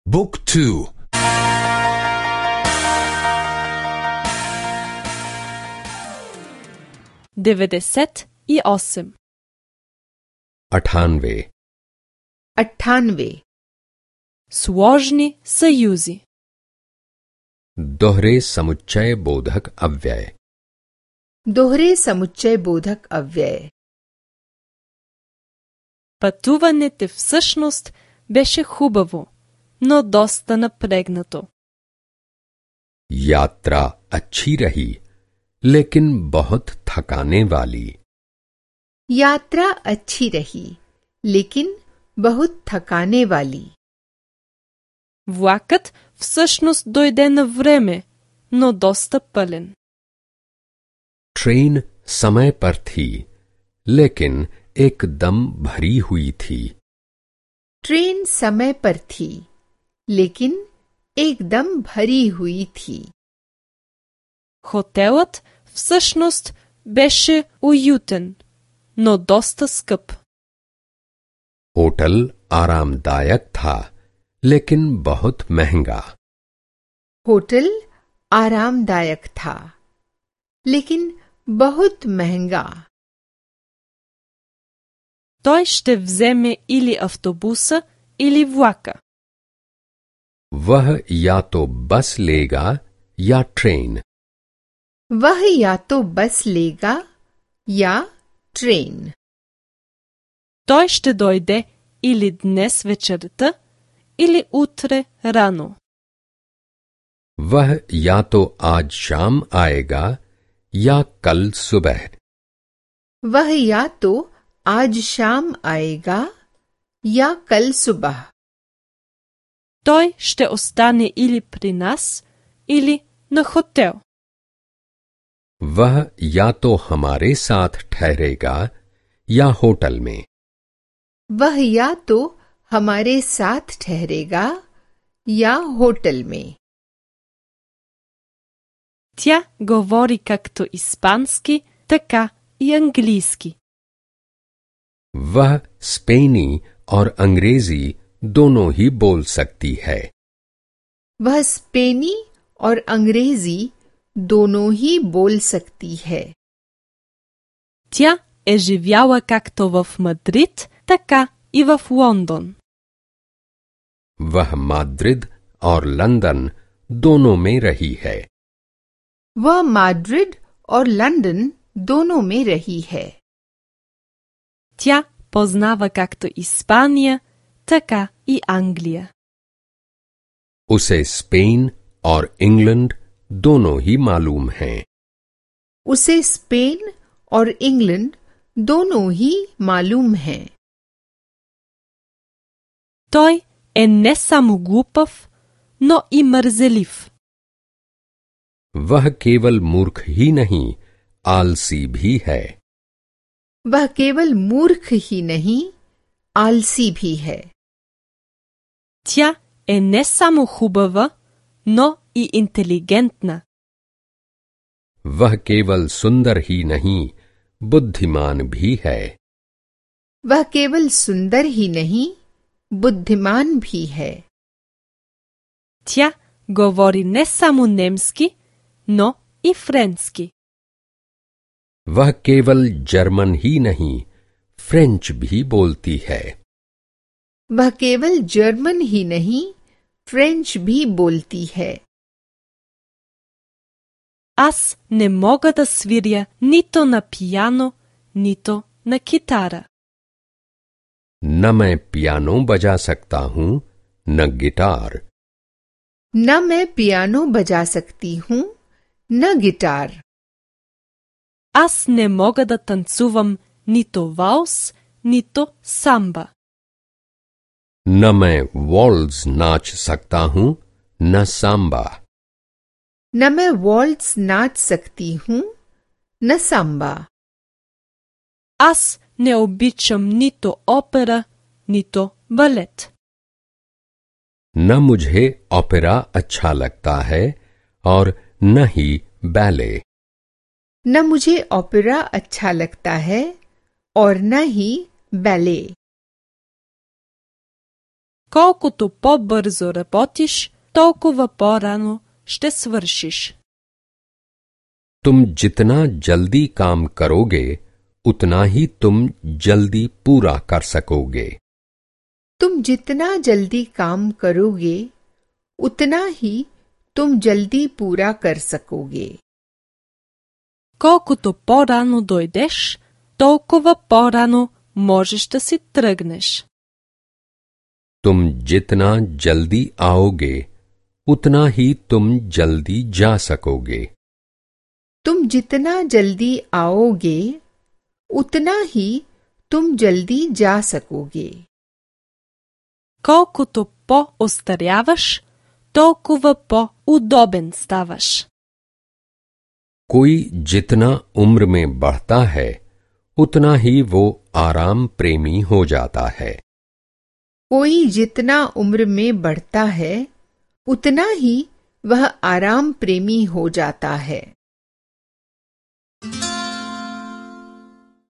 Book 2. 98. 98. 98. Сложни съюзи. दोहरे समुच्चय बोधक अव्यय. दोहरे समुच्चय बोधक अव्यय. Пътуването всъщност беше хубаво, но доста напрегнато. यात्रा अच्छी रही लेकिन बहुत थकाने वाली. यात्रा अच्छी रही लेकिन बहुत थकाने वाली. Влакът всъщност дойде на време, но доста пълен. ट्रेन समय पर थी लेकिन एकदम भरी हुई थी. ट्रेन समय पर थी लेकिन एकदम भरी हुई थी. Хотелът всъщност беше уютен, но доста скъп. होटल आरामदायक था लेकिन बहुत महंगा. होटल आरामदायक था लेकिन बहुत महंगा. Той ще вземе или автобуса, или влака. वह या तो बस लेगा या ट्रेन. वह या तो बस लेगा या ट्रेन. Той ще дойде или днес вечерта, или утре рано. वह या तो आज शाम आएगा या कल सुबह. वह या तो आज शाम आएगा या कल सुबह. Той ще остане или при нас, или на хотел. वह या तो हमारे साथ ठहरेगा या होटल में. वह या तो हमारे साथ ठहरेगा या होटल में. Тя говори както испански, така и английски. वह स्पेनी और अंग्रेजी दोनों ही बोल सकती है. वह स्पेनी और अंग्रेजी दोनों ही बोल सकती है. Тя е живяла както в Мадрид, така и в Лондон. वह माद्रिद और लंदन दोनों में रही है. वह माड्रिड और लंदन दोनों में रही है. Тя познава както Испания, така и Англия. उसे स्पेन और इंग्लैंड दोनों ही मालूम हैं. उसे स्पेन और इंग्लैंड दोनों ही मालूम हैं. Той е не само глупав, но и мързелив. वह केवल मूर्ख ही नहीं आलसी भी है. वह केवल मूर्ख ही नहीं आलसी भी है. Тя е не само хубава, но и интелигентна. वह केवल सुंदर ही नहीं बुद्धिमान भी है. वह केवल सुंदर ही नहीं बुद्धिमान भी है. Тя говори не само немски, но и френски. वह केवल जर्मन ही नहीं फ्रेंच भी बोलती है. वह केवल जर्मन ही नहीं फ्रेंच भी बोलती है. Аз не мога да свиря нито на пияно, нито на китара. न मैं पियानो बजा सकता हूँ न गिटार. न मैं पियानो बजा सकती हूँ न गिटार. Аз не мога да танцувам нито валс, нито самба. न मैं वॉल्स नाच सकता हूँ न सांबा. न मैं वॉल्ट्स नाच सकती हूँ न सांबा. Аз не обичам нито опера, нито балет. न मुझे ओपेरा अच्छा लगता है और न ही बैले. न मुझे ओपेरा अच्छा लगता है और न ही बैले. Колкото по-бързо работиш, толкова по-рано ще свършиш. तुम जितना जल्दी काम करोगे उतना ही तुम जल्दी पूरा कर सकोगे। तुम जितना जल्दी काम करोगे उतना ही तुम जल्दी पूरा कर सकोगे। Колкото по-рано дойдеш, толкова по-рано можеш да си тръгнеш. तुम जितना जल्दी आओगे उतना ही तुम जल्दी जा सकोगे। तुम जितना जल्दी आओगे उतना ही तुम जल्दी जा सकोगे। Колкото по-остаряваш, толкова по-удобен ставаш. कोई जितना उम्र में बढ़ता है उतना ही वो आराम प्रेमी हो जाता है। कोई जितना उम्र में बढ़ता है उतना ही वह आराम प्रेमी हो जाता है।